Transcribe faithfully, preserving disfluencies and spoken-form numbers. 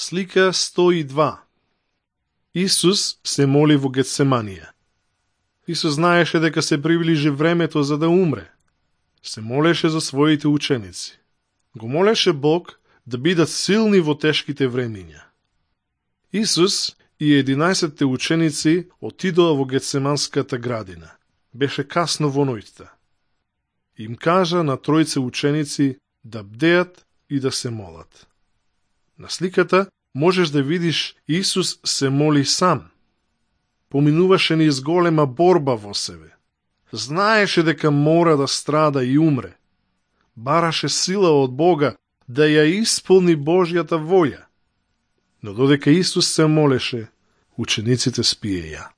Слика сто и два. Исус се моли во Гетсеманија. Исус знаеше дека се приближи времето за да умре. Се молеше за своите ученици. Го молеше Бог да бидат силни во тешките времиња. Исус и единаесетте ученици отидоа во Гетсеманската градина. Беше касно во ноќта. Им кажа на тројце ученици да бдеат и да се молат. На сликата можеш да видиш Исус се моли сам. Поминуваше низ голема борба во себе. Знаеше дека мора да страда и умре. Бараше сила од Бога да ја исполни Божјата волја. Но додека Исус се молеше, учениците спиеја.